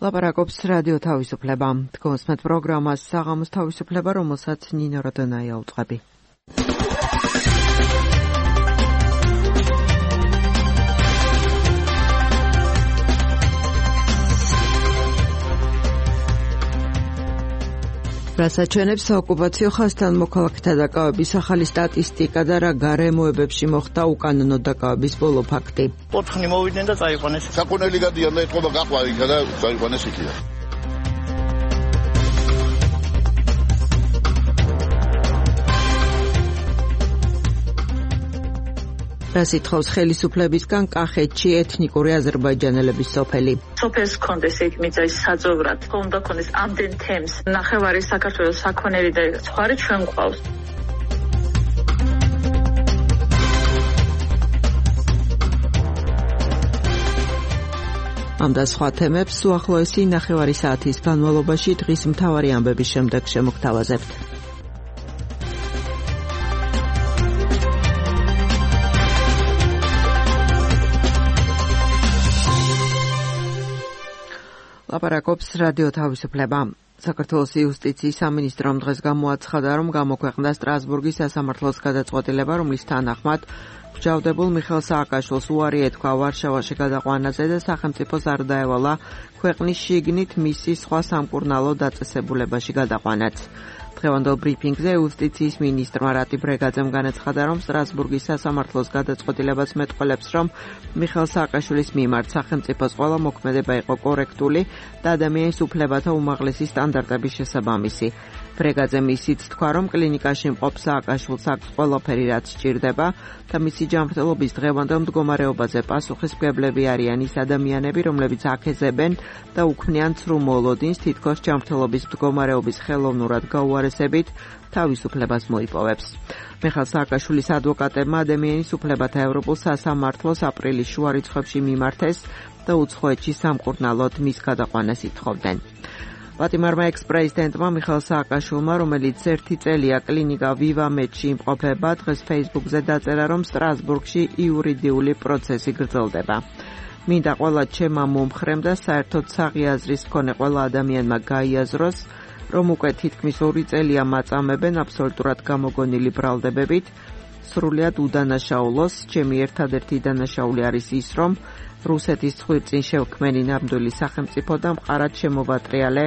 ლაპარაკობს რადიო თავისუფლება. თქვენსმეთ პროგრამას საღამოს თავისუფლება, რომელსაც ნინო როდონაია უწყები. რასაც საოკუპაციო ხაზთან მოქალაქეთა დაკავების ახალი სტატისტიკა და რა გარემოებებში მოხდა უკანონო დაკავების ბოლო ფაქტი. ოთხნი მოვიდნენ და წაიყვანეს. საკონელი გადიან და ეთყობა გაყვა იქა და წაიყვანეს იქიდან. რას ითხოვს ხელისუფლებისგან კახეთში ეთნიკური აზერბაიჯანელების სოფელი. სოფელს კონდეს იქ მიწის საძოვრად. უნდა კონდეს ამდენ თემს. ნახევარი საქართველოს საქონელი და სხვა ჩვენ გვყავს. ამ და სხვა თემებს უახლოესი ნახევარი საათის განმავლობაში დღის მთავარი ამბების შემდეგ შემოგთავაზებთ. ლაპარაკობს რადიო თავისუფლება. საქართველოს იუსტიციის სამინისტრომ დღეს გამოაცხადა, რომ გამოქვეყნდა სტრასბურგის სასამართლოს გადაწყვეტილება, რომლის თანახმად მსჯავრდებულ მიხეილ სააკაშვილს უარი ეთქვა ვარშავაში გადაყვანაზე და სახელმწიფოს არ დაევალა ქვეყნის შიგნით მისი სხვა სამკურნალო დაწესებულებაში გადაყვანაც. დღევანდელ ბრიფინგზე იუსტიციის მინისტრმა რატი ბრეგაძემ განაცხადა, რომ სტრასბურგის სასამართლოს გადაწყვეტილებას მეტყველებს, რომ მიხეილ სააკაშვილის მიმართ სახელმწიფოს ყველა მოქმედება იყო კორექტული და ადამიანის უფლებათა უმაღლესი სტანდარტების შესაბამისი. ბრეგაძემ ისიც თქვა, რომ კლინიკაში მყოფ სააკაშვილს აქვს ყველაფერი, რაც სჭირდება და მისი ჯანმრთელობის დღევანდელ მდგომარეობაზე პასუხისმგებლები არიან ის ადამიანები, რომლებიც აქეზებენ და უქმნიან ცრუ მოლოდინს თითქოს ჯანმრთელობის მდგომარეობის ხელოვნურად გაუარესებით თავისუფლებას მოიპოვებს. მიხეილ სააკაშვილის ადვოკატებმა ადამიანის უფლებათა ევროპულ სასამართლოს აპრილის შუა რიცხვებში მიმართეს და უცხოეთში სამკურნალოდ მის გადაყვანას ითხოვდნენ. ვატიმარმა ექს-პრეზიდენტმა მიხეილ სააკაშვილმა, რომელიც 1 წელია კლინიკა ვივამედში იმყოფება, დღეს Facebook-ზე დაწერა, რომ სტრასბურგში იურიდიული პროცესი გრძელდება. მინდა ყველა ჩემმა მომხრემ და საერთოდ საღიაზრის მქონე ყველა ადამიანმა გაიაზროს, რომ უკვე თითქმის 2 წელია მაწამებენ აბსოლუტურად გამოგონილი ბრალდებებით, სრულიად უდანაშაულოს. ჩემი ერთადერთი დანაშაული არის ის, რომ რუსეთის ცხვირწინ შევქმენი ნამდვილი სახელმწიფო და მყარად შემოვატრიალე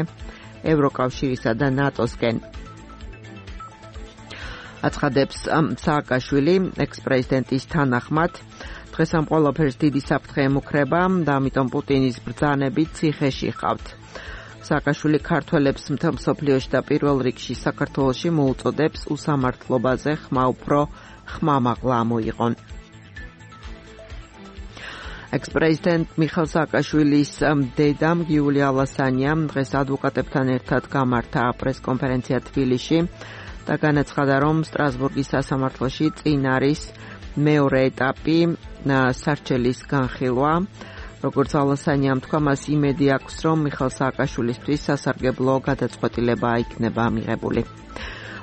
ევროკავშირისა და ნატოსკენ. აცხადებს სააკაშვილი ექს-პრეზიდენტის თანახმად. დღეს ამ ყველაფერს დიდი საფრთხე ემუქრება და ამიტომ პუტინის ბრძანებით ციხეში ხავთ. სააკაშვილი ქართველებს მთელ მსოფლიოში და პირველ რიგში საქართველოში მოუწოდებს უსამართლობაზე ხმა უფრო ხმამაღლა ამოიღონ. ექს-პრეზიდენტ მიხეილ სააკაშვილის დედამ გიულია ალასანიამ დღეს ადვოკატებთან ერთად გამართა პრესკონფერენცია თბილისში და განაცხადა, რომ სტრასბურგის სასამართლოში წინ არის მეორე ეტაპი სარჩელის განხილვა. როგორც ალასანიამ თქვა, მას იმედი აქვს, რომ მიხეილ სააკაშვილისთვის სასარგებლო გადაწყვეტილება იქნება მიღებული.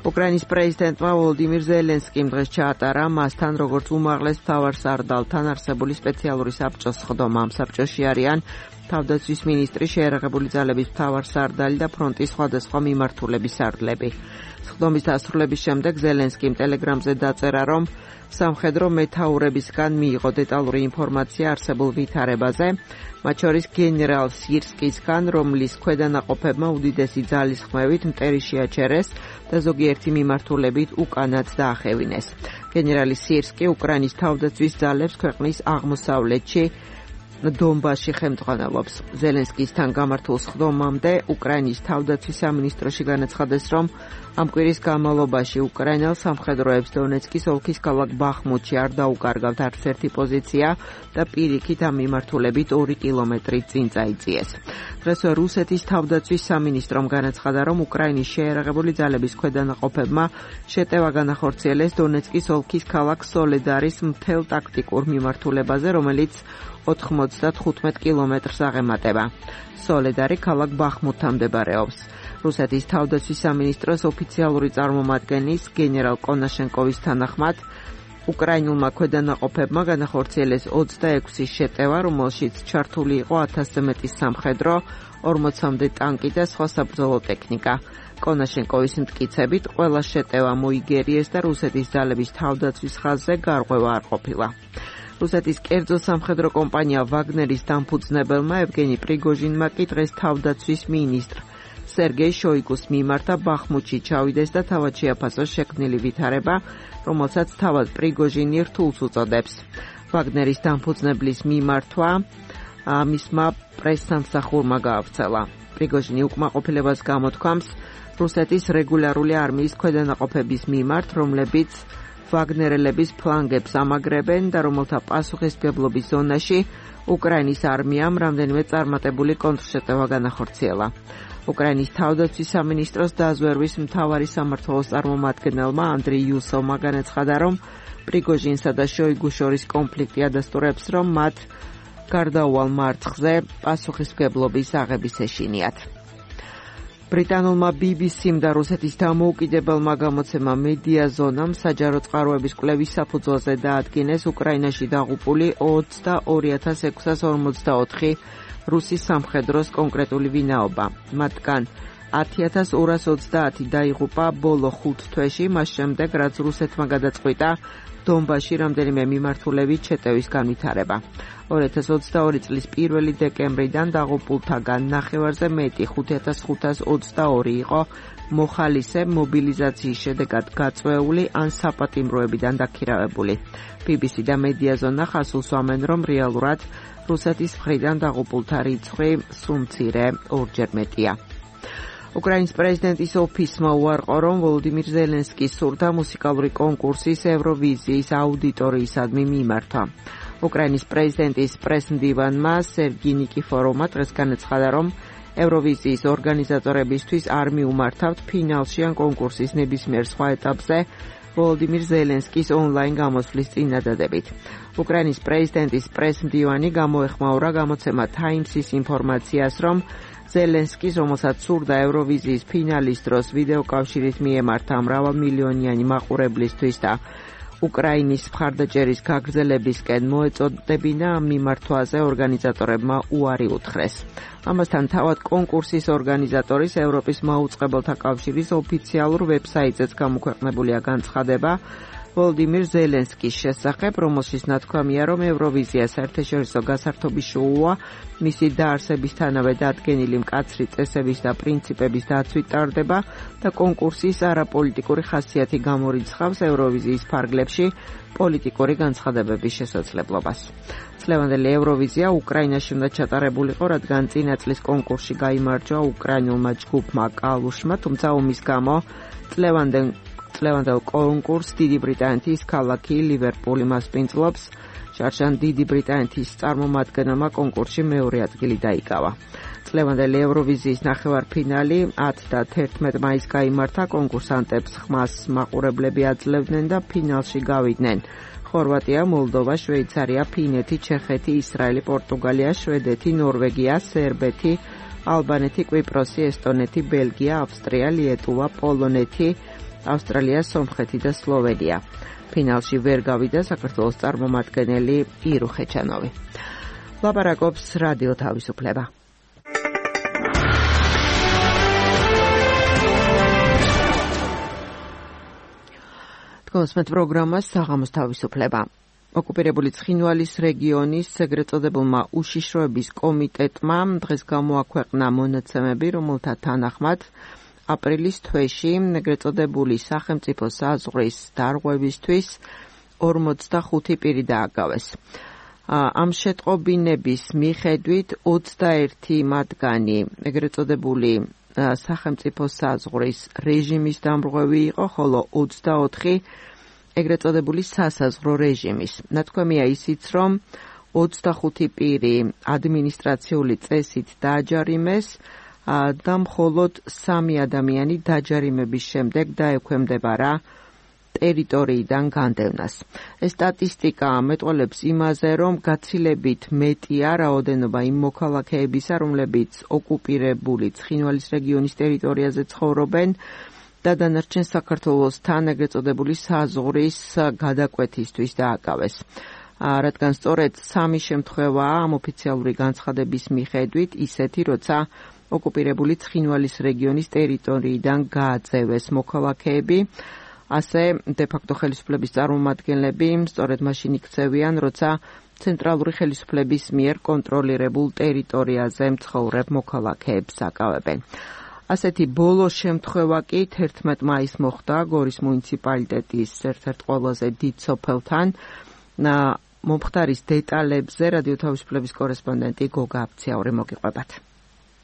უკრაინის პრეზიდენტმა ვოლოდიმირ ზელენსკიმ დღეს ჩაატარა მასთან როგორც უმაღლეს მთავარსარდალთან არსებული სპეციალური საბჭოს სხდომა. ამ საბჭოში არიან თავდაცვის მინისტრი, შეიარაღებული ძალების მთავარსარდალი და ფრონტის სხვადასხვა მიმართულების სარდლები. სხდომის დასრულების შემდეგ ზელენსკიმ ტელეგრამზე დაწერა, რომ სამხედრო მეთაურებისგან მიიღო დეტალური ინფორმაცია არსებულ ვითარებაზე, მათ შორის გენერალ სირსკისგან, რომლის ქვედანაყოფებმა უდიდესი ძალის ხმევით მტერი შეაჩერეს და ზოგიერთი მიმართულებით უკანაც დაახევინეს. გენერალი სირსკი უკრაინის თავდაცვის ძალებს ქვეყნის აღმოსავლეთში დონბასში ხელმძღვანელობს. ზელენსკისთან გამართულ სხდომამდე უკრაინის თავდაცვის სამინისტროში განაცხადეს, რომ ამ კვირის განმავლობაში უკრაინელ სამხედროებს დონეცკის ოლქის ქალაქ ბახმუთში არ დაუკარგავთ არც ერთი პოზიცია და პირიქით ამ მიმართულებით 2 კილომეტრი წინ წაიწიეს. დღესვე რუსეთის თავდაცვის სამინისტრომ განაცხადა, რომ უკრაინის შეიარაღებული ძალების ქვედანაყოფებმა შეტევა განახორციელეს დონეცკის ოლქის ქალაქ სოლედარის მთელ ტაქტიკურ მიმართულებაზე, რომელიც 95 კილომეტრს აღემატება. სოლედარი ქალაქ ბახმუთთან მდებარეობს. რუსეთის თავდაცვის სამინისტროს ოფიციალური წარმომადგენლის გენერალ კონაშენკოვის თანახმად უკრაინულმა ქვედანაყოფებმა განახორციელეს 26 შეტევა, რომელშიც ჩართული იყო 1000-ზე მეტი სამხედრო, 40-მდე ტანკი და სხვა საბრძოლო ტექნიკა. კონაშენკოვის მტკიცებით, ყველა შეტევა მოიგერიეს და რუსეთის ძალების თავდაცვის ხაზზე გარღვევა არ ყოფილა. რუსეთის კერძო სამხედრო კომპანია ვაგნერის დამფუძნებელმა ევგენი პრიგოჟინმა კი დღეს თავდაცვის მინისტრ სერგეი შოიგუს მიმართა ბახმუთში ჩავიდეს და თავად შეაფასოს შექმნილი ვითარება, რომელსაც თავად პრიგოჟინი რთულს უწოდებს. ვაგნერის დამფუძნებლის მიმართვა მისმა პრესსამსახურმა გაავრცელა. პრიგოჟინი უკმაყოფილებას გამოთქვამს რუსეთის რეგულარული არმიის ქვედანაყოფების მიმართ, რომლებიც ვაგნერელების ფლანგებს ამაგრებენ და რომელთა პასუხისმგებლობის ზონაში უკრაინის არმიამ რამდენიმე წარმატებული კონტრშეტევა განახორციელა. უკრაინის თავდაცვის სამინისტროს დაზვერვის მთავარი სამმართველოს წარმომადგენელმა ანდრეი იუსოვმა განაცხადა, რომ პრიგოჟინსა და შოიგუს შორის კონფლიქტი ადასტურებს, რომ მათ გარდაუვალ მარცხზე პასუხისმგებლობის აღების ეშინიათ. ბრიტანულმა BBC-მ და რუსეთის დამოუკიდებელმა გამოცემამ მედია ზონამ საჯარო წყაროების კვლევის საფუძველზე დაადგინეს უკრაინაში დაღუპული 22,644 რუსის სამხედროს კონკრეტული ვინაობა. მათგან 10,230 დაიღუპა ბოლო 5 თვეში, მას შემდეგ, რაც რუსეთმა გადაწყვიტა დონბასში რამდენიმე მიმართულებით შეტევის განვითარება. 2022 წლის 1 დეკემბრიდან დაღუპულთაგან ნახევარზე მეტი 5,522 იყო მოხალისე მობილიზაციის შედეგად გაწვეული ან საპატიმროებიდან დაქირავებული. BBC და მედიაზონა ხაზს უსვამენ, რომ რეალურად რუსეთის მხრიდან დაღუპულთა რიცხვი სულ მცირე, ორჯერ მეტია. უკრაინის პრეზიდენტის ოფისმა უარყო, რომ ვოლოდიმირ ზელენსკის სურდა მუსიკალური კონკურსის ევროვიზიის აუდიტორიისადმი მიმართვა. უკრაინის პრეზიდენტის პრესმდივანმა სერგი ნიკიფოროვმა დღეს განაცხადა, რომ ევროვიზიის ორგანიზატორებისთვის არ მიუმართავთ ფინალში ან კონკურსის ნებისმიერ სხვა ეტაპზე ვოლოდიმირ ზელენსკის ონლაინ გამოსვლის წინადადებით. უკრაინის პრეზიდენტის პრესმდივანი გამოეხმაურა გამოცემა Times-ის ინფორმაციას, რომ ზელენსკის, რომელსაც სურდა ევროვიზიის ფინალის დროს ვიდეოკავშირით მიემართა მრავალმილიონიანი მაყურებლისთვის და უკრაინის მხარდაჭერის გაგრძელებისკენ მოეწოდებინა, ამ მიმართვაზე ორგანიზატორებმა უარი უთხრეს. ამასთან თავად კონკურსის ორგანიზატორის ევროპის მაუწყებელთა კავშირის ოფიციალურ ვებსაიტზეც გამოქვეყნებულია განცხადება ვოლოდიმირ ზელენსკის შესახებ, რომელშიც ნათქვამია, რომ ევროვიზია საერთაშორისო გასართობი შოუა, მისი დაარსებისთანავე დადგენილი მკაცრი წესების და პრინციპების დაცვით ტარდება და კონკურსის არაპოლიტიკური ხასიათი გამორიცხავს ევროვიზიის ფარგლებში პოლიტიკური განცხადებების შესაძლებლობას. წლევანდელი ევროვიზია უკრაინაში უნდა ჩატარებულიყო, რადგან წინა წლის კონკურსში გაიმარჯვა უკრაინულმა ჯგუფმა კალუშმა, თუმცა ომის გამო წლევანდელ კონკურსს დიდი ბრიტანეთის ქალაქი ლივერპული მასპინძლობს. შარშან დიდი ბრიტანეთის წარმომადგენელმა კონკურსში მეორე ადგილი დაიკავა. წლევანდელი ევროვიზიის ნახევარფინალი 10 და 11 მაისს გაიმართა. კონკურსანტებს ხმას მაყურებლები აძლევდნენ და ფინალში გავიდნენ ხორვატია, მოლდოვა, შვეიცარია, ფინეთი, ჩეხეთი, ისრაელი, პორტუგალია, შვედეთი, ნორვეგია, სერბეთი, ალბანეთი, კვიპროსი, ესტონეთი, ბელგია, ავსტრია, ლიეტუვა, პოლონეთი, ავსტრალია, სომხეთი და სლოვენია. ფინალში ვერ გავიდა საქართველოს წარმომადგენელი ირუ ხეჩანოვი. ლაპარაკობს რადიო თავისუფლება. თქვენს პროგრამას საღამოს თავისუფლება. ოკუპირებული ცხინვალის რეგიონის ეგრეთ წოდებულმა უშიშროების კომიტეტმა დღეს გამოაქვეყნა მონაცემები, რომელთა თანახმად აპრილის თვეში ეგრეთ წოდებული სახელმწიფო საზღვრის დარღვევისთვის 45 პირი დააგავეს. ამ შეტყობინების მიხედვით 21 მათგანი ეგრეთ წოდებული სახელმწიფო საზღვრის რეჟიმის დამრღვევი იყო, ხოლო 24 ეგრეთ წოდებული სასაზღვრო რეჟიმის. ნათქვამია ისიც, რომ 25 პირი ადმინისტრაციული წესით დააჯარიმეს და მხოლოდ 3 ადამიანი დაჯარიმების შემდეგ დაექვემდებარა ტერიტორიიდან განდევნას. ეს სტატისტიკა მეტყველებს იმაზე, რომ გაცილებით მეტია რაოდენობა იმ მოქალაქეებისა, რომლებიც ოკუპირებული ცხინვალის რეგიონის ტერიტორიაზე ცხოვრობენ და დანარჩენ საქართველოსთან ეგრეთ წოდებული საზღვრის გადაკვეთისთვის დააკავეს. რადგან სწორედ სამი შემთხვევაა ამ ოფიციალური განცხადების მიხედვით ისეთი, როცა ოკუპირებული ცხინვალის რეგიონის ტერიტორიიდან გააძევეს მოქალაქეები, ასე დე-ფაქტო ხელისუფლების წარმომადგენლები სწორედ მაშინ იქცევიან, როცა ცენტრალური ხელისუფლების მიერ კონტროლირებულ ტერიტორიაზე მცხოვრებ მოქალაქეებს აკავებენ. ასეთი ბოლო შემთხვევა კი 11 მაისს მოხდა გორის მუნიციპალიტეტის ერთ-ერთ ყველაზე დიდ სოფელთან. მომხდარის დეტალებზე რადიო თავისუფლების კორესპონდენტი გოგა აფციაური მოგიყვებათ.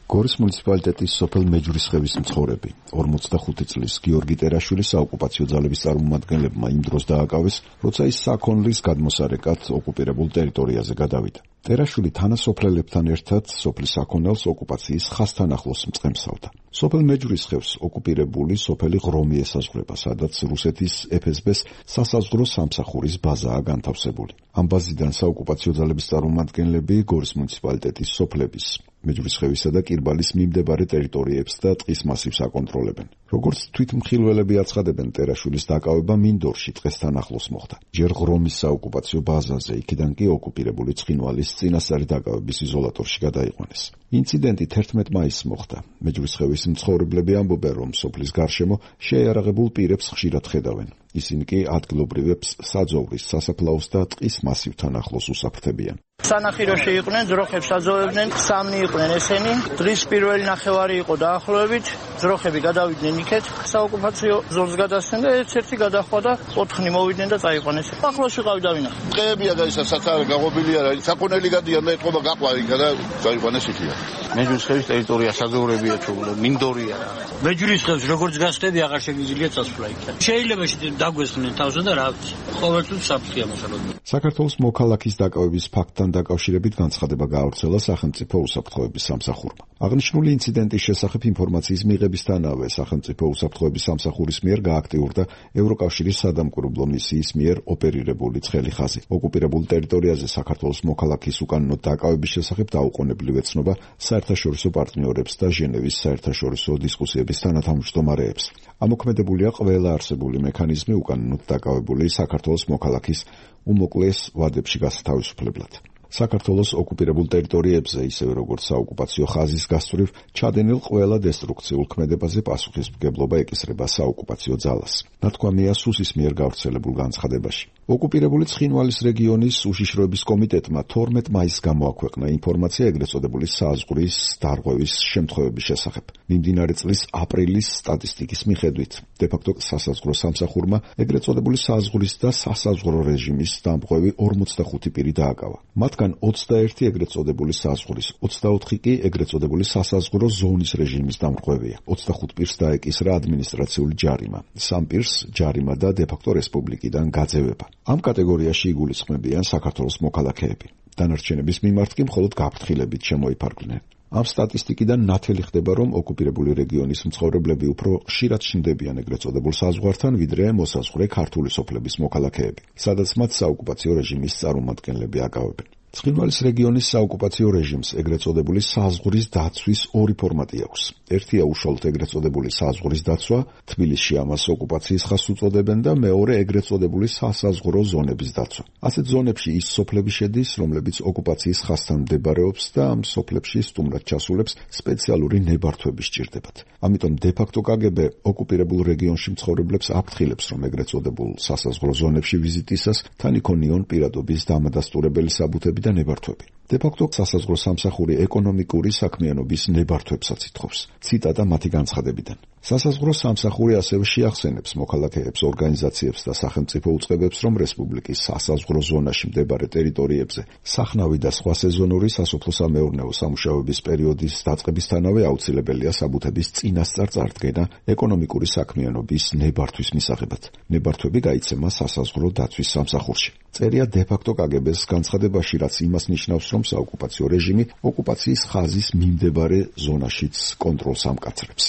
გორის მუნიციპალიტეტის სოფელ მეჯვრისხევის მცხოვრები 45 წლის გიორგი ტერაშვილი საოკუპაციო ძალების წარმომადგენლებმა იმ დროს დააკავეს, როცა ის საქონლის გადმოსარეკად ოკუპირებულ ტერიტორიაზე გადავიდა. ტერაშვილი თანასოფლელებთან ერთად სოფლის საქონელს ოკუპაციის ხაზთან ახლოს მწყემსავდა. სოფელ მეჯვრისხევს ოკუპირებული სოფელი ღრომი ესაზღვრება, სადაც რუსეთის FSB-ს სასაზღვრო სამსახურის ბაზაა განთავსებული. ამ ბაზიდან საოკუპაციო ძალების წარმომადგენლები გორის მუნიციპალიტეტის სოფლების მეჯვრისხევისა და კირბალის მიმდებარე ტერიტორიებს და ტყის მასივს აკონტროლებენ. როგორც თვითმხილველები აცხადებენ, ტერაშვილის დაკავება მინდორში დღესთან ახლოს მოხდა. ჯერ ღრომის საოკუპაციო ბაზაზე, იქიდან კი ოკუპირებული ცხინვალის წინასწარი დაკავების იზოლატორში გადაიყვანეს. ინციდენტი 11 მაისს მოხდა. მეჯვრისხევის მცხოვრებლები ამბობენ, რომ სოფლის გარშემო შეიარაღებულ პირებს ხშირად ხედავენ. ისინი კი ადგილობრივებს საძოვრის, სასაფლაოს და ტყის მასივთან ახლოს უსაფრთხებიან. სანახიროში იყვნენ, ძროხებს აძოვებდნენ, სამნი იყვნენ ესენი. დღის პირველი ნახევარი იყო დაახლოებით, ძროხები გადავიდნენ იქეთ, საოკუპაციო ზოლს გადასცენ და ერთ-ერთი გადახვა და 4 მოვიდნენ და წაიყვანეს. ახლოს ვიყავი და ვინახე. ტყეებია და ისა სათარ გაყოფილია რა. საქონელი გადიან და ეთყობა გაყვა იქა და წაიყვანეს იქია. მეჯვრისხევის ტერიტორია საძოვრებია თუ მინდორია რა. მეჯვრისხევს როგორც გასწრები აღარ შეგიძლია წასვლა იქ. შეიძლება დაგვესხნენ თავზე და რა ვიცი. ყოველთვის საფრთხეა მოსალოდნელი. საქართველოს მოქალაქის დაკავების ფაქტთან დაკავშირებით განცხადება გაავრცელა სახელმწიფო უსაფრთხოების სამსახურმა. აღნიშნული ინციდენტის შესახებ ინფორმაციის მიღებისთანავე სახელმწიფო უსაფრთხოების სამსახურის მიერ გააქტიურდა ევროკავშირის სადამკვირვებლო მისიის მიერ ოპერირებული ცხელი ხაზი. ოკუპირებულ ტერიტორიაზე საქართველოს მოქალაქის უკანონო დაკავების შესახებ დაუყოვნებლივ ეცნობა საერთაშორისო პარტნიორებს და ჟენევის საერთაშორისო დისკუსიების თანათავმჯდომარეებს. ამოქმედებულია ყველა არსებული მექანიზმი უკანონოდ დაკავებული საქართველოს მოქალაქის უმოკლეს ვადებში გასათავისუფლებლად. საქართველოს ოკუპირებულ ტერიტორიებზე, ისევე როგორც საოკუპაციო ხაზის გასწვრივ, ჩადენილ ყველა დესტრუქციულ ქმედებაზე პასუხისმგებლობა ეკისრება საოკუპაციო ძალას. ნათქვამია სუსის მიერ გავრცელებულ განცხადებაში. ოკუპირებული ცხინვალის რეგიონის უშიშროების კომიტეტმა 12 მაისს გამოაქვეყნა ინფორმაცია ეგრეთ წოდებული საზღვრის დარღვევის შემთხვევების შესახებ. მიმდინარე წლის აპრილის სტატისტიკის მიხედვით, დე-ფაქტო სასაზღვრო სამსახურმა ეგრეთ წოდებული საზღვრის და სასაზღვრო რეჟიმის დამღვევი 45 პირი დააკავა. მათგან 21 ეგრეთ წოდებული საზღვრის, 24 კი ეგრეთ წოდებული სასაზღვრო ზონის რეჟიმის დამღვევია. 25 პირს დაეკისრა ადმინისტრაციული ჯარიმა, 3 პირს ჯარიმა და დე-ფაქტო რესპუბლიკიდან გაძევება. ამ კატეგორიაში იგულისხმებიან საქართველოს მოქალაქეები. დანარჩენების მიმართ კი მხოლოდ გაფრთხილებით შემოიფარგლნენ. ამ სტატისტიკიდან ნათელი ხდება, რომ ოკუპირებული რეგიონის მცხოვრებლები უფრო ხშირად ჩნდებიან ეგრეთ წოდებულ საზღვართან, ვიდრე მოსაზღვრე ქართული სოფლების მოქალაქეები, სადაც მათ საოკუპაციო რეჟიმის წარმომადგენლები აკავებენ. ცხინვალის რეგიონის საოკუპაციო რეჟიმს ეგრეთ წოდებული საზღვრის დაცვის ორი ფორმატი აქვს. ერთია უშუალოდ ეგრეთ წოდებული საზღვრის დაცვა, თბილისში ამას ოკუპაციის ხაზს უწოდებენ და მეორე ეგრეთ წოდებული სასაზღვრო ზონების დაცვა. ასეთ ზონებში ის სოფლები შედის, რომლებიც ოკუპაციის ხაზთან მდებარეობს და ამ სოფლებში სტუმრად ჩასულებს სპეციალური ნებართვები სჭირდებათ. ამიტომ დე-ფაქტო KGB ოკუპირებულ რეგიონში მცხოვრებლებს აფრთხილებს, რომ ეგრეთ წოდებულ სასაზღვრო ზონებში ვიზიტისას თან იქონიონ პირადობის დამადასტურებელი საბუთები და ნებართვები. დე-ფაქტო სასაზღვრო სამსახური ეკონომიკური საქმიანობის ნებართვებსაც ითხოვს. ციტატა მათი განცხადებიდან. სასაზღვრო სამსახური ასევე შეახსენებს მოქალაქეებს, ორგანიზაციებს და სახელმწიფო უწყებებს, რომ რესპუბლიკის სასაზღვრო ზონაში მდებარე ტერიტორიებზე სახნავი და სხვა სეზონური სასოფლო-სამეურნეო სამუშაოების პერიოდის დაწყებისთანავე აუცილებელია საბუთების წინასწარ წარდგენა ეკონომიკური საქმიანობის ნებართვის მისაღებად. ნებართვები გაიცემა სასაზღვრო დაცვის სამსახურში. წერია დე-ფაქტო KGB-ს განცხადებაში, რაც იმას ნიშნავს, რომ საოკუპაციო რეჟიმი ოკუპაციის ხაზის მიმდებარე ზონაშიც კონტროლს ამკაცრებს.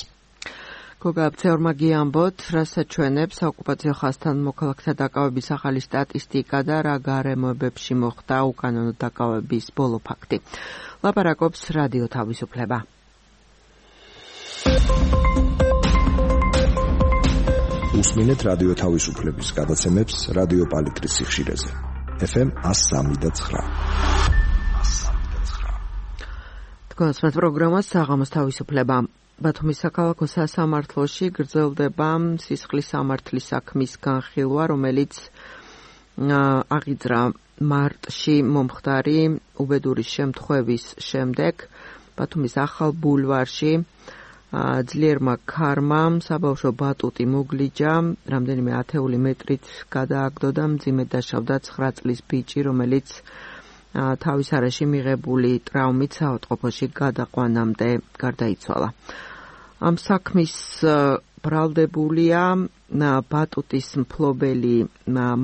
გოგა აფციაურმა გიამბოთ, რასაც ჩვენებს საოკუპაციო ხაზთან მოქალაქეთა დაკავების ახალი სტატისტიკა და რა გარემოებებში მოხდა უკანონო დაკავების ბოლო ფაქტი. ლაპარაკობს რადიო თავისუფლება. უსმინეთ რადიო თავისუფლების გადაცემებს რადიო პალიტრის სიხშირეზე. FM 103.9. თქვენს პროგრამას საღამოს თავისუფლება. ბათუმის საქალაქო სასამართლოში გრძელდება სისხლის სამართლის საქმის განხილვა, რომელიც აღიძრა მარტში მომხდარი უბედურის შემთხვევის შემდეგ ბათუმის ახალ ბულვარში ძლიერმა ქარმა საბავშვო ბატუტი მოგლიჯა, რამდენიმე ათეული მეტრით გადააგდო და მძიმედ დაშავდა 9 წლის ბიჭი, რომელიც თავის არეში მიღებული ტრაუმით საავადმყოფოში გადაყვანამდე გარდაიცვალა. ამ საქმის ბრალდებულია ბატუტის მფლობელი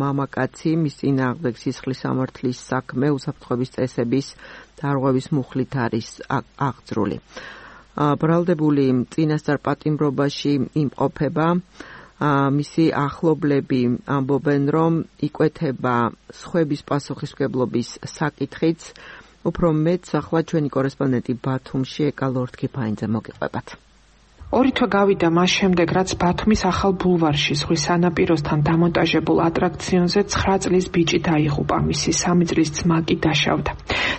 მამაკაცი, მის წინააღმდეგ სისხლის სამართლის საქმე უსაფრთხოების წესების დარღვევის მუხლით არის აღძრული. ბრალდებული წინასწარ პატიმრობაში იმყოფება, მისი ახლობლები ამბობენ, რომ იკვეთება სხვების პასუხისმგებლობის საკითხიც. უფრო მეტს ახლა ჩვენი კორესპონდენტი ბათუმში ეკა ლორთქიფაინძე მოგიყვებათ. 2 თვე გავიდა მას შემდეგ, რაც ბათუმის ახალ ბულვარში ზღვის სანაპიროსთან დამონტაჟებულ ატრაქციონზე 9 წლის ბიჭი დაიღუპა, მისი 3 წლის ძმა კი დაშავდა.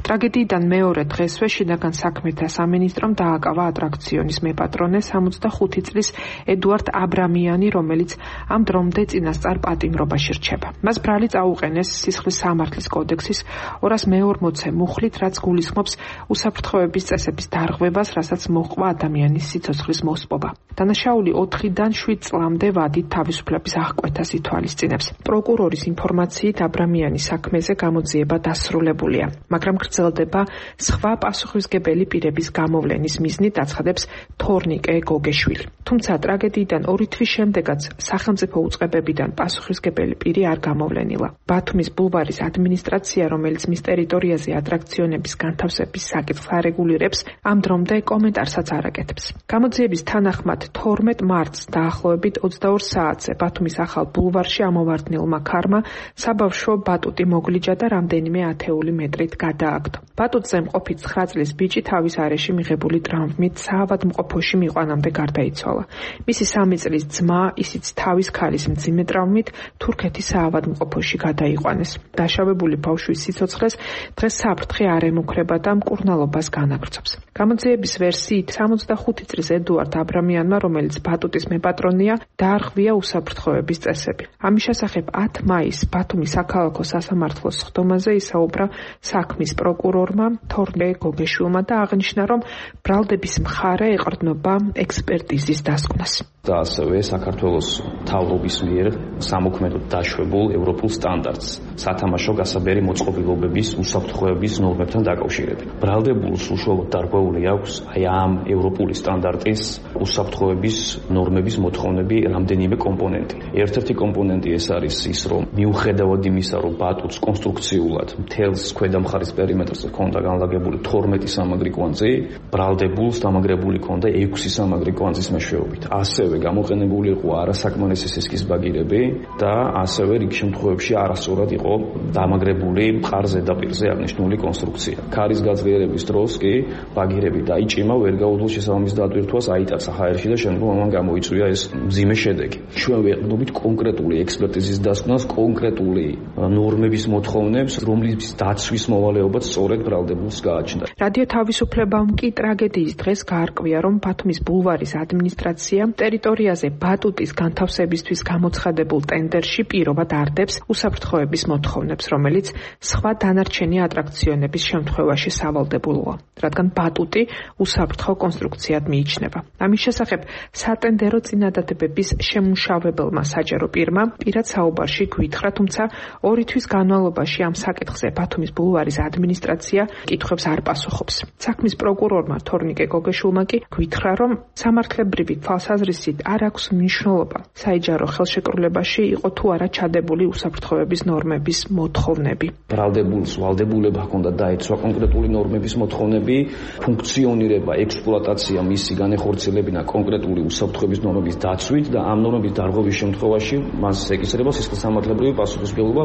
ტრაგედიიდან მეორე დღესვე შინაგან საქმეთა სამინისტრომ დააკავა ატრაქციონის მეპატრონე 65 წლის ედუარდ აბრამიანი, რომელიც ამ დრომდე წინასწარ პატიმრობაში რჩება. მას ბრალი წაუყენეს სისხლის სამართლის კოდექსის 240-ე მუხლით, რაც გულისხმობს უსაფრთხოების წესების დარღვევას, რასაც მოჰყვა ადამიანის სიცოცხლის მოსპობა. დანაშაული 4-დან 7 წლამდე ვადით თავისუფლების აღკვეთას ითვალისწინებს. პროკურორის ინფორმაციით აბრამიანის საქმეზე გამოძიება დასრულებულია, მაგრამ გრძელდება სხვა პასუხისმგებელი პირების გამოვლენის მიზნით, აცხადებს თორნიკე გოგეშვილი. თუმცა ტრაგედიიდან 2 თვის შემდეგაც სახელმწიფო უწყებებიდან პასუხისმგებელი პირი არ გამოვლენილა. ბათუმის ბულვარის ადმინისტრაცია, რომელიც მის ტერიტორიაზე ატრაქციონების განთავსების საკითხს არეგულირებს, ამ დრომდე კომენტარსაც არ აკეთებს. გამოძიების თანახმად 12 მარტს დაახლოებით 22 საათზე ბათუმის ახალ ბულვარში ამოვარდნილმა ქარმა საბავშვო ბატუტი მოგლიჯა და რამდენიმე ათეული მეტრით გადააგდო. ბატუტზე მყოფი 9 წლის ბიჭი თავის არეში მიღებული ტრაუმით საავადმყოფოში მიყვანამდე გარდაიცვალა. მისი 3 წლის ძმა, ისიც თავის ქალის მძიმე ტრაუმით თურქეთის საავადმყოფოში გადაიყვანეს. დაშავებული ბავშვის სიცოცხლეს დღეს საფრთხე არ ემუქრება და მკურნალობას განაგრძობს. გამოძიების ვერსიით 65 წლის ედუარდ აბრამიანმა, რომელიც ბატუტის მეპატრონეა, დაარღვია უსაფრთხოების წესები. ამის შესახებ 10 მაისს ბათუმის საქალაქო სასამართლოს სხდომაზე ისაუბრა საქმის პროკურორმა თორნიკე გოგეშვილმა და აღნიშნა, რომ ბრალდების მხარე ეყრდნობა ექსპერტიზის დასკვნას. და ასევე საქართველოს მთავრობის მიერ სამოქმედოდ დაშვებულ ევროპულ სტანდარტს სათამაშო გასაბერი მოწყობილობების უსაფრთხოების ნორმებთან დაკავშირებით. ბრალდებულს უშუალოდ დარღვეული აქვს ამ ევროპული სტანდარტის უსაფრთხოების ნორმების მოთხოვნები რამდენიმე კომპონენტი. ერთ-ერთი კომპონენტი ეს არის ის, რომ მიუხედავად იმისა, რომ ბატუტს კონსტრუქციულად მთელს ქვედა მხარის პერიმეტრზე ჰქონდა განლაგებული 12 სამაგრი კვანძი, ბრალდებულს დამაგრებული ჰქონდა 6 სამაგრი კვანძის მეშვეობით. ასევე გამოყენებული იყო არასაკმარისი სისქის ბაგირები და ასევე რიგ შემთხვევებში არასწორად იყო დამაგრებული მყარ ზედაპირზე აღნიშნული კონსტრუქცია. ქარის გაძლიერების დროს კი ბაგირები დაიჭიმა, ვერ გაუძლო შესაბამის დატვირთვას, აიტაცა ჰაერში და შემდგომ ამან გამოიწვია ეს მძიმე შედეგი. ჩვენ ვეყრდნობით კონკრეტული ექსპერტიზის დასკვნას, კონკრეტული ნორმების მოთხოვნებს, რომლის დაცვის მოვალეობაც სწორედ ბრალდებულს გააჩნდა. რადიო თავისუფლებამ კი ტრაგედიის დღეს გაარკვია, რომ ბათუმის ბულვარის ადმინისტრაცია ტერიტორიაზე ბატუტის განთავსებისთვის გამოცხადებულ ტენდერში პირობად არდებს უსაფრთხოების მოთხოვნებს, რომელიც სხვა დანარჩენი ატრაქციონების შემთხვევაში სავალდებულოა, რადგან ბატუტი უსაფრთხო კონსტრუქციად მიიჩნევა. ამის შესახებ სატენდერო წინადადებების შემმუშავებელმა საჯარო პირმა პირად საუბარში გვითხრა, თუმცა 2 თვის განმავლობაში ამ საკითხზე ბათუმის ბულვარის ადმინისტრაცია კითხვებს არ პასუხობს. საქმის პროკურორმა თორნიკე გოგეშვილმა კი გვითხრა, რომ სამართლებრივი თვალსაზრისით არ აქვს მნიშვნელობა საიჯარო ხელშეკრულებაში იყო თუ არა ჩადებული უსაფრთხოების ნორმების მოთხოვნები. ბრალდებულს ვალდებულება ჰქონდა დაეცვა კონკრეტული ნორმების მოთხოვნები, ფუნქციონირება, ექსპლუატაცია მისი განეხორციელებინა კონკრეტული უსაფრთხოების ნორმების დაცვით და ამ ნორმების დარღვევის შემთხვევაში მას ეკისრება სისხლისამართლებრივი პასუხისმგებლობა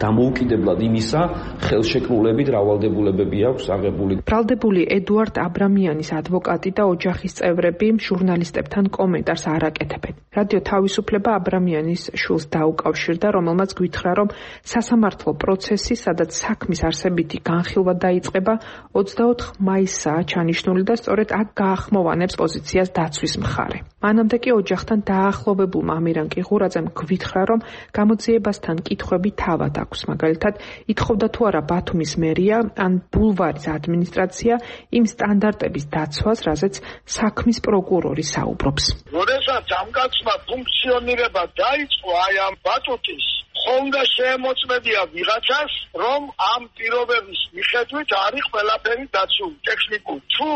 დამოუკიდებლად იმისა, ხელშეკრულებით რავალდებულებები აქვს აღებული. ბრალდებული ედუარდ აბრამიანის ადვოკატი და ოჯახის წევრები ჟურნალისტებთან კომენტარს არ აკეთებენ. რადიო თავისუფლება აბრამიანის შვილს დაუკავშირდა, რომელმაც გვითხრა, რომ სასამართლო პროცესი, სადაც საქმის არსებითი განხილვა დაიწყება, 24 მაისაა ჩანიშნული და სწორედ აქ გაახმოვანებს პოზიციას დაცვის მხარე. მანამდე კი ოჯახთან დაახლოვებულმა ამირან კიღურაძემ გვითხრა, რომ გამოძიებასთან კითხვები თავად აქვს. მაგალითად, ითხოვდა თუ არა ბათუმის მერია ან ბულვარის ადმინისტრაცია იმ სტანდარტების დაცვას, რაზეც საქმის პროკურორი საუბრობს. როდესაც ამ კაცმა ფუნქციონირება დაიწყო აი ამ ბატუტის, ხონდა შეემოწმებია ვიღაცას, რომ ამ პირობების მიხედვით არის ყველაფერი დაცული ტექნიკურად. თუ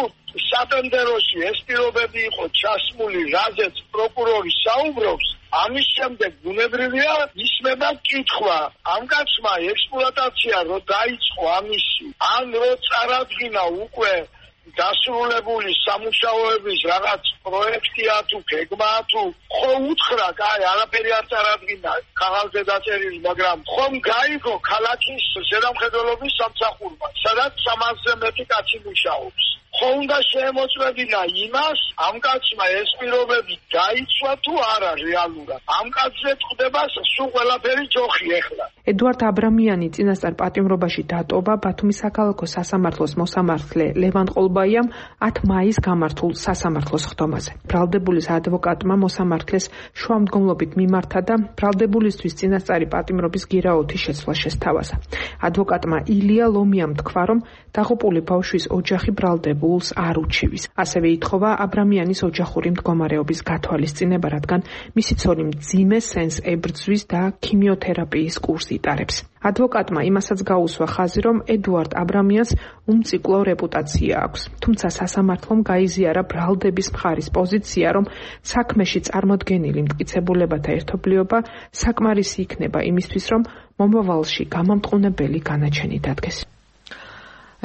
სატენდეროში ეს პირობები იყო ჩასმული, რაზეც პროკურორი საუბრობს, ამის შემდეგ ბუნებრივია ისმება კითხვა. ამ კაცმა ექსპლუატაცია რო დაიწყო ამისი, ან რო წარადგინა უკვე დასრულებული სამუშაოების რაღაც პროექტია თუ გეგმაა თუ ხო უთხრა, კაი, არაფერი არ წარადგინა ქაღალდზე დაწერილი, მაგრამ ხომ გაიგო ქალაქის ზედამხედველობის სამსახურმა, სადაც 300-ზე მეტი კაცი მუშაობს. ხო უნდა შეემოწმებინა იმას, ამ კაცმა ეს პირობები დაიცვა თუ არა რეალურად. ამ კაცზე წდება სულ ყველაფერი ჯოხი ეხლა. ედუარდ აბრამიანი წინასწარ პატიმრობაში დატოვა ბათუმის საქალაქო სასამართლოს მოსამართლე ლევან ყოლბაიამ 10 მაისს გამართულ სასამართლოს ხდომაზე. ბრალდებულის ადვოკატმა მოსამართლეს შუამდგომლობით მიმართა და ბრალდებულისთვის წინასწარი პატიმრობის გირაოთი შეცვლა შესთავაზა. ადვოკატმა ილია ლომიამ თქვა, რომ დაღუპული ბავშვის ოჯახი ბრალდებულს არ უჩივის. ასევე ითხოვა აბრამიანის ოჯახური მდგომარეობის გათვალისწინება, რადგან მისი ცოლი მძიმე სენს ებრძვის და ქიმიოთერაპიის კურსს იტარებს. ადვოკატმა იმასაც გაუსვა ხაზი, რომ ედუარდ აბრამიანს უმციკლო რეპუტაცია აქვს. თუმცა სასამართლომ გაიზიარა ბრალდების მხარის პოზიცია, რომ საქმეში წარმოდგენილი მტკიცებულებათა ერთობლიობა საკმარისი იქნება იმისთვის, რომ მომავალში გამამტყუნებელი განაჩენი დადგეს.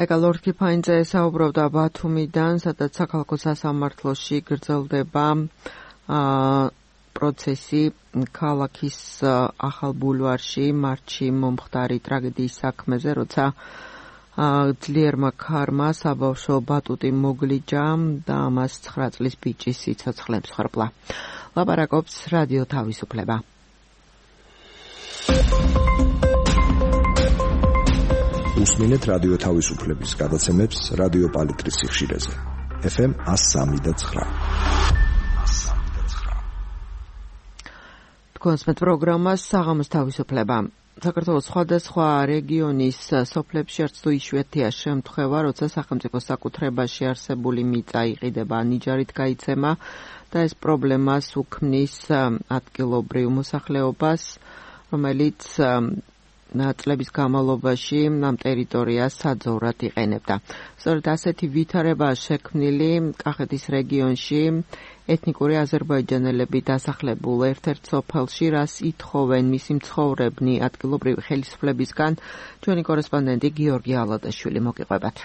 ეკალორ კიფაინძე საუბრობდა ბათუმიდან, სადაც საქალაქო სასამართლოში გრძელდება პროცესი ქალაქის ახალ ბულვარში მარტში მომხდარი ტრაგედიის საქმეზე, როცა ძლიერმა ქარმა საბავშვო ბატუტი მოგლიჯა და მას 9 წლის ბიჭის სიცოცხლე მსხვერპლა. ლაპარაკობს რადიო თავისუფლება. უსმინეთ რადიო თავისუფლების გადაცემებს რადიო პალიტრის სიხშირეზე. FM 103.9. თქვენს მე პროგრამას საღამოს თავისუფლება. საქართველოს სხვადასხვა რეგიონის სოფლებში არც თუ იშვიათია შემთხვევა, როცა სახელმწიფო საკუთრებაში არსებული მიწა იყიდება ნიჯარით გაიცემა და ეს პრობლემას უქმნის ადგილობრივ მოსახლეობას, რომელიც წლების განმავლობაში ამ ტერიტორიას საძოვრად იყენებდა. სწორედ ასეთი ვითარებაა შექმნილი კახეთის რეგიონში ეთნიკური აზერბაიჯანელები დასახლებულ ერთ-ერთ სოფელში, რას ითხოვენ მისი მცხოვრებნი ადგილობრივი ხელისუფლებისგან. ჩვენი კორესპონდენტი გიორგი ალადაშვილი მოგიყვებათ.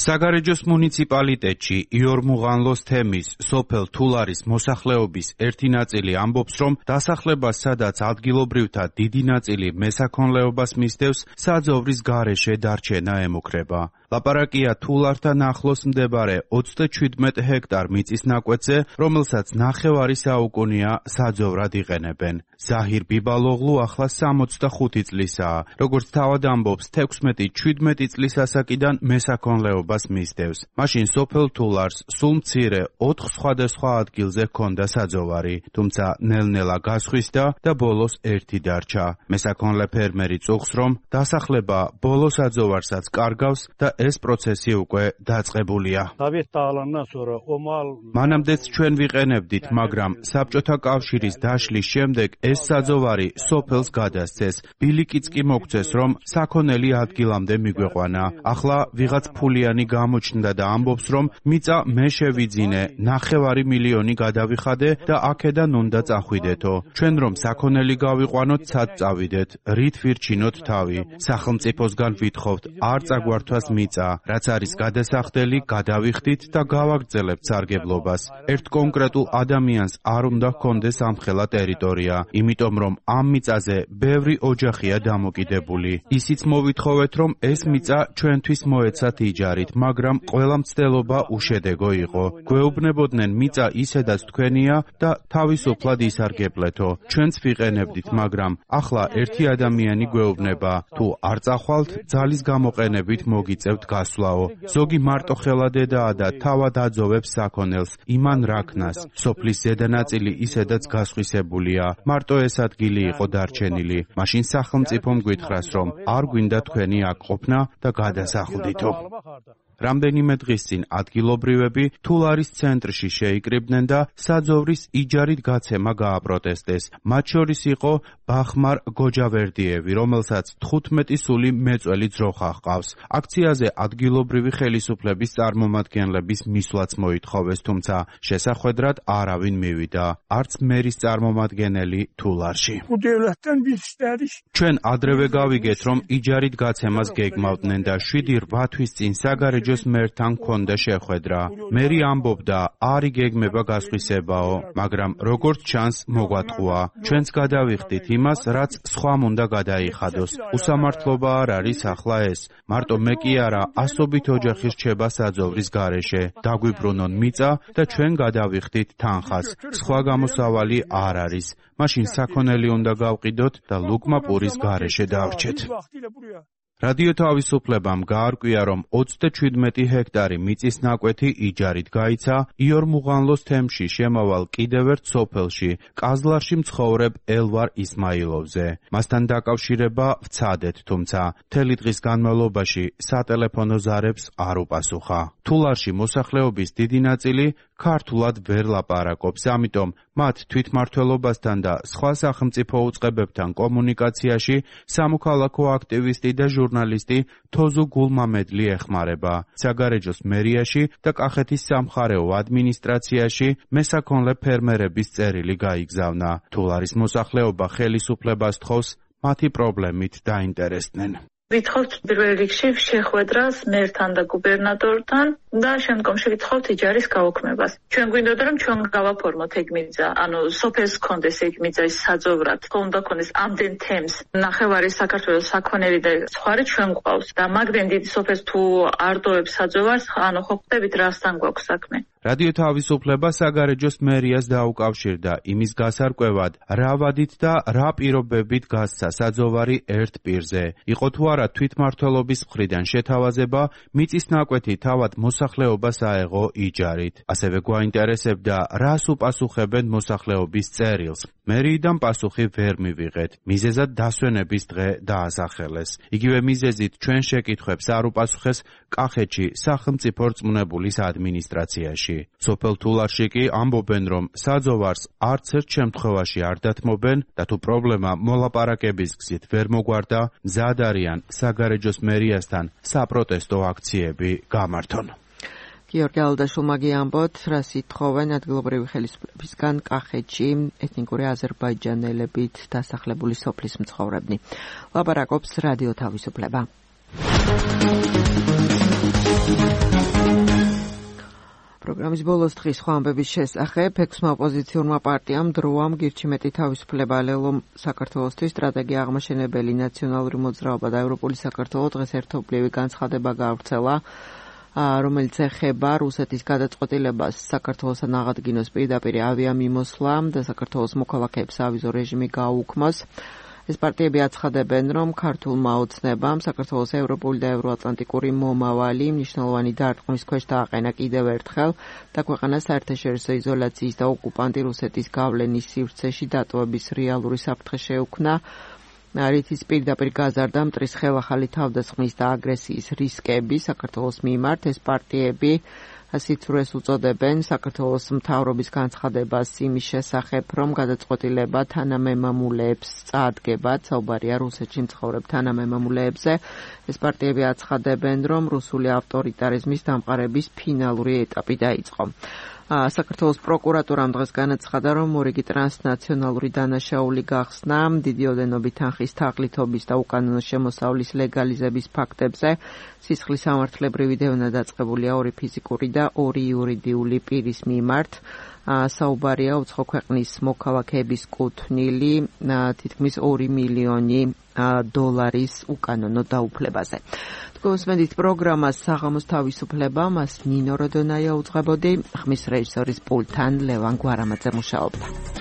საგარეჯოს მუნიციპალიტეტში იორმუღანლოს თემის სოფელ თულარის მოსახლეობის ერთი ნაწილი ამბობს, რომ დასახლებას, სადაც ადგილობრივთა დიდი ნაწილი მესაქონლეობას მისდევს, საძოვრის გარეშე დარჩენა ემუქრება. ლაპარაკია თულართან ახლოს მდებარე 37 ჰექტარ მიწის ნაკვეთზე, რომელსაც ნახევარი საუკუნეა საძოვრად იყენებენ. ზაჰირ ბიბალოღლუ ახლა 65 წლისაა. როგორც თავად ამბობს, 16-17 წლის ასაკიდან მესაქონლეობას მისდევს. მაშინ სოფელ თულარს სულ მცირე 4 სხვადასხვა ადგილზე ჰქონდა საძოვარი, თუმცა ნელ-ნელა გასხვისდა და ბოლოს ერთი დარჩა. მესაქონლე ფერმერი წუხს, რომ დასახლება ბოლო საძოვარსაც კარგავს და ეს პროცესი უკვე დაწყებულია. მანამდეც ჩვენ ვიყენებდით, მაგრამ საბჭოთა კავშირის დაშლის შემდეგ ეს საძოვარი სოფელს გადასცეს. ბილიკიც კი მოგცეს, რომ საქონელი ადგილამდე მიგვეყვანა. ახლა ვიღაც ფულიანი გამოჩნდა და ამბობს, რომ მიწა მე შევიძინე, 9 მილიონი გადავიხადე და აქედან უნდა წახვიდეთო. ჩვენ რომ საქონელი გავიყვანოთ, ცად წავიდეთ, რით ვირჩინოთ თავი. სახელმწიფოსგან ვითხოვთ, არ წაგვართვას მიწა მიწა, რაც არის გადასახდელი, გადავიხდით და გავაგრძელებთ სარგებლობას. ერთ კონკრეტულ ადამიანს არ უნდა ჰქონდეს ამხელა ტერიტორია, იმიტომ რომ ამ მიწაზე ბევრი ოჯახია დამოკიდებული. ისიც მოვითხოვეთ, რომ ეს მიწა ჩვენთვის მოეცათ იჯარით, მაგრამ ყველა მცდელობა უშედეგო იყო. გვეუბნებოდნენ მიწა ისედაც თქვენია და თავისუფლად ისარგებლეთო. ჩვენც ვიყენებდით, მაგრამ ახლა ერთი ადამიანი გვეუბნება, თუ არ წახვალთ, ძალის გამოყენებით მოგიწევთ გასვლაო. ზოგი მარტო ხელადედაა და თავად აძოვებს საქონელს, იმან რაქნას. სოფლის ზედანაწილი ისედაც გასხვისებულია. მარტო ეს ადგილი იყო დარჩენილი. მაშინ სახელმწიფომ გვითხრას, რომ არ გვინდა თქვენი აქ ყოფნა და გადასახლდითო. რამდენიმე დღის წინ ადგილობრივები თულარის ცენტრში შეიკრიბნენ და საძოვრის იჯარით გაცემა გააპროტესტეს. მათ შორის იყო ბახმარ გოჯავერდიევი, რომელსაც 15 სული მეწველი ძროხა ჰყავს. აქციაზე ადგილობრივი ხელისუფლების წარმომადგენლების მისვლაც მოითხოვეს, თუმცა შესახვედრად არავინ მივიდა, არც მერის წარმომადგენელი თულარში. ჩვენ ადრევე გავიგეთ, რომ იჯარით გაცემას გეგმავდნენ და 7-8 თვის წინ საგარეჯო მერთან ქონდა შეხვედრა. მერი ამბობდა, არ იგეგმება გასხვისებაო, მაგრამ როგორც ჩანს მოგვატყუა. ჩვენც გადავიხდით იმას, რაც სხვამ უნდა გადაიხადოს. უსამართლობა არ არის ახლა ეს. მარტო მე კი არა, ასობით ოჯახი რჩება საძოვრის გარეშე. დაგვიბრუნონ მიწა და ჩვენ გადავიხდით თანხას. სხვა გამოსავალი არ არის. მაშინ საქონელი უნდა გავყიდოთ და ლუკმა პურის გარეშე დავრჩეთ. რადიო თავისუფლებამ გაარკვია, რომ 37 ჰექტარი მიწის ნაკვეთი იჯარით გაიცა იორმუღანლოს თემში შემავალ კიდევ ერთ სოფელში, კაზლარში მცხოვრებ ელვარ ისმაილოვზე. მასთან დაკავშირება ვცადეთ, თუმცა მთელი დღის განმავლობაში სატელეფონო ზარებს არ უპასუხა. თულარში მოსახლეობის დიდი ნაწილი ქართულად ვერ ლაპარაკობს, ამიტომ მათ თვითმმართველობასთან და სხვა სახელმწიფო უწყებებთან კომუნიკაციაში სამოქალაქო აქტივისტი და ჟურნალისტი თოზუ გულმამედლი ეხმარება. საგარეჯოს მერიაში და კახეთის სამხარეო ადმინისტრაციაში მესაქონლე ფერმერების წერილი გაიგზავნა. თულარის მოსახლეობა ხელისუფლებას თხოვს მათი პრობლემით დაინტერესდნენ. ვითხოვთ პირველ რიგში შეხვედრას მერთან და გუბერნატორთან და შემდგომში ვითხოვთ იჯარის გაუქმებას. ჩვენ გვინდოდა რომ ჩვენ გავაფორმოთ ეგ მიწა, ანუ სოფელს კონდეს ეგ მიწა საძოვრად, უნდა კონდეს ამდენ თემს, ნახევარი საქართველოს საქონელი და სხვარი ჩვენ გვყავს და მაგდენ დიდი სოფელს თუ არ დოებს საძოვარს, ანუ ხო ხვდებით რასთან გვაქვს საქმე. რადიო თავისუფლება საგარეჯოს მერიას დაუკავშირდა იმის გასარკვევად, რა ვადით და რა პირობებით გასცა საძოვარი ერთ პირზე. იყო თუ არა თვითმმართველობის მხრიდან შეთავაზება, მიწის ნაკვეთი თავად მოსახლეობას აეღო იჯარით. ასევე გვაინტერესებდა, რას უპასუხებენ მოსახლეობის წერილს. მერიიდან პასუხი ვერ მივიღეთ. მიზეზად დასვენების დღე დაასახელეს. იგივე მიზეზით ჩვენ შეკითხვებს არ უპასუხეს კახეთში სახელმწიფო რწმუნებულის ადმინისტრაციაში. სოფელ თულარში კი ამბობენ, რომ საძოვარს არც ერთ შემთხვევაში არ დათმობენ და თუ პრობლემა მოლაპარაკების გზით ვერ მოგვარდა, მზად არიან საგარეჯოს მერიასთან საპროტესტო აქციები გამართონ. გიორგი ალდაშულმა გიამბოთ, რას ითხოვენ ადგილობრივი ხელისუფლებისგან კახეთში ეთნიკური აზერბაიჯანელებით დასახლებული სოფლის მცხოვრებნი. ლაპარაკობს რადიო თავისუფლება. პროგრამის ბოლოს დღის სხვა ამბების შესახებ 6 ოპოზიციურმა პარტიამ დროამ გირჩიმეტი თავისუფლება ლელო საქართველოსთვის სტრატეგია აღმაშენებელი ნაციონალური მოძრაობა და ევროპული საქართველო დღეს ერთობლივი განცხადება გაავრცელა, რომელიც ეხება რუსეთის გადაწყვეტილებას საქართველოსთან აღადგინოს პირდაპირ ავიამიმოსვლა და საქართველოს მოქალაქეებს ავიზო რეჟიმი გააუქმოს. ეს პარტიები აცხადებენ, რომ ქართულმა ოცნებამ საქართველოს ევროპული და ევროატლანტიკური მომავალი მნიშვნელოვანი დარტყმის ქვეშ დააყენა კიდევ ერთხელ და ქვეყანას საერთაშორისო იზოლაციის და ოკუპანტი რუსეთის გავლენის სივრცეში დატოვების რეალური საფრთხე შეუქმნა. რითიც პირდაპირ გაზარდა მტრის ხელახალი თავდასხმის და აგრესიის რისკები საქართველოს მიმართ. ეს პარტიები სიცრუეს უწოდებენ საქართველოს მთავრობის განცხადებას იმის შესახებ, რომ გადაწყვეტილება თანამემამულეებს წაადგებათ, საუბარია რუსეთში მცხოვრებ თანამემამულეებზე. ეს პარტიები აცხადებენ, რომ რუსული ავტორიტარიზმის დამყარების ფინალური ეტაპი დაიწყო. საქართველოს პროკურატურამ დღეს განაცხადა, რომ მორიგი ტრანსნაციონალური დანაშაული გახსნა დიდი ოდენობით თანხის თაღლითობის და უკანონო შემოსავლის ლეგალიზების ფაქტებზე. სისხლის სამართლებრივი დევნა დაწყებულია 2 ფიზიკური და 2 იურიდიული პირის მიმართ. საუბარია უცხო ქვეყნის მოქალაქეების კუთვნილი თითქმის 2 მილიონი დოლარის უკანონო დაუფლებაზე. გოსმენდით პროგრამას საღამოს თავისუფლება, მას ნინო როდონაია უძღვებოდი, ხმის რეჟისორის პულტთან ლევან გვარამაძე მუშაობდა.